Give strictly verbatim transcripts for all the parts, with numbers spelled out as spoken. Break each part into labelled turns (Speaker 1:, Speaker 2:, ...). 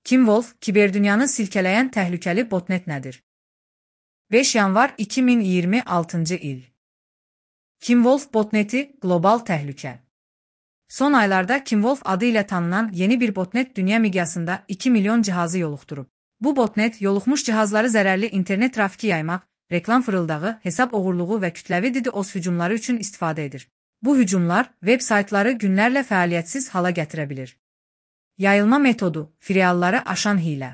Speaker 1: Kimwolf, kiberdünyanı silkələyən təhlükəli botnet nədir? beş yanvar iki min iyirmi altıncı il. Kimwolf botneti qlobal təhlükə. Son aylarda Kimwolf adı ilə tanınan yeni bir botnet dünya miqyasında iki milyon cihazı yoluxdurub. Bu botnet yoluxmuş cihazları zərərli internet trafiki yaymaq, reklam fırıldağı, hesab oğurluğu və kütləvi DDoS hücumları üçün istifadə edir. Bu hücumlar veb saytları günlərlə fəaliyyətsiz hala gətirə bilir. Yayılma metodu, filialları aşan hiylə.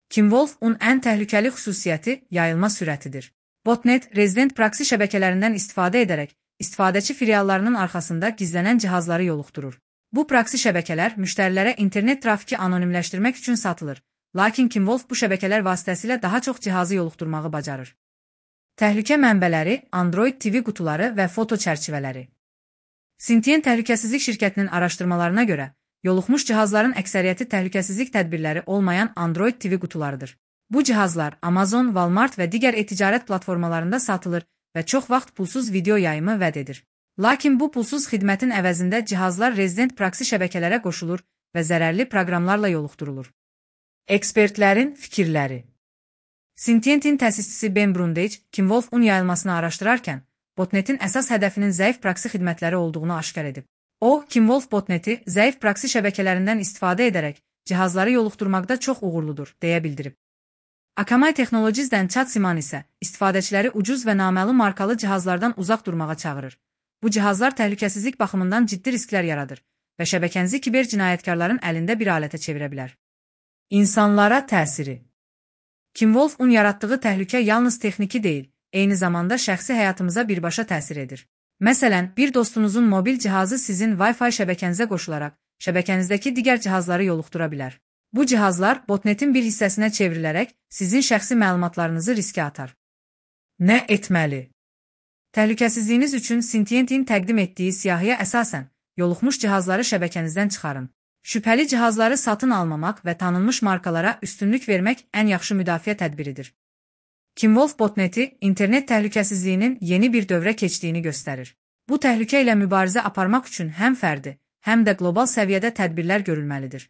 Speaker 1: Kimwolf-un ən təhlükəli xüsusiyyəti yayılma sürətidir. Botnet, rezident proksi şəbəkələrindən istifadə edərək, istifadəçi filiallarının arxasında gizlənən cihazları yoluxdurur. Bu proksi şəbəkələr müştərilərə internet trafiki anonimləşdirmək üçün satılır, lakin Kimwolf bu şəbəkələr vasitəsilə daha çox cihazı yoluxdurmağı bacarır. Təhlükə mənbələri, Android T V qutuları və foto çərçivələri. Syntien Təhlükəsizlik şirkətinin araşdırmalarına görə, yoluxmuş cihazların əksəriyyəti təhlükəsizlik tədbirləri olmayan Android T V qutularıdır. Bu cihazlar Amazon, Walmart və digər e-ticarət platformalarında satılır və çox vaxt pulsuz video yayımı vəd edir. Lakin bu pulsuz xidmətin əvəzində cihazlar rezident proksi şəbəkələrə qoşulur və zərərli proqramlarla yoluxdurulur. Ekspertlərin fikirləri. Syntientin təsisçisi Ben Brundage, Kimwolf-un yayılmasını araşdırarkən, botnetin əsas hədəfinin zəif proksi xidmətləri olduğunu aşkar edib. O, Kimwolf botneti zəif proksi şəbəkələrindən istifadə edərək cihazları yoluxdurmaqda çox uğurludur, deyə bildirib. Akamai Technologies'dən Chad Siman isə istifadəçiləri ucuz və naməlum markalı cihazlardan uzaq durmağa çağırır. Bu cihazlar təhlükəsizlik baxımından ciddi risklər yaradır və şəbəkənizi kiber cinayətkarların əlində bir alətə çevirə bilər. İnsanlara təsiri. Kimwolf-un yaratdığı təhlükə yalnız texniki deyil, eyni zamanda şəxsi həyatımıza birbaşa təsir edir. Məsələn, bir dostunuzun mobil cihazı sizin Wi-Fi şəbəkənizə qoşularaq, şəbəkənizdəki digər cihazları yoluxdura bilər. Bu cihazlar botnetin bir hissəsinə çevrilərək sizin şəxsi məlumatlarınızı riskə atar. Nə etməli? Təhlükəsizliyiniz üçün Syntientin təqdim etdiyi siyahıya əsasən, yoluxmuş cihazları şəbəkənizdən çıxarın. Şübhəli cihazları satın almamaq və tanınmış markalara üstünlük vermək ən yaxşı müdafiə tədbiridir. Kimwolf botneti internet təhlükəsizliyinin yeni bir dövrə keçdiyini göstərir. Bu təhlükə ilə mübarizə aparmaq üçün həm fərdi, həm də qlobal səviyyədə tədbirlər görülməlidir.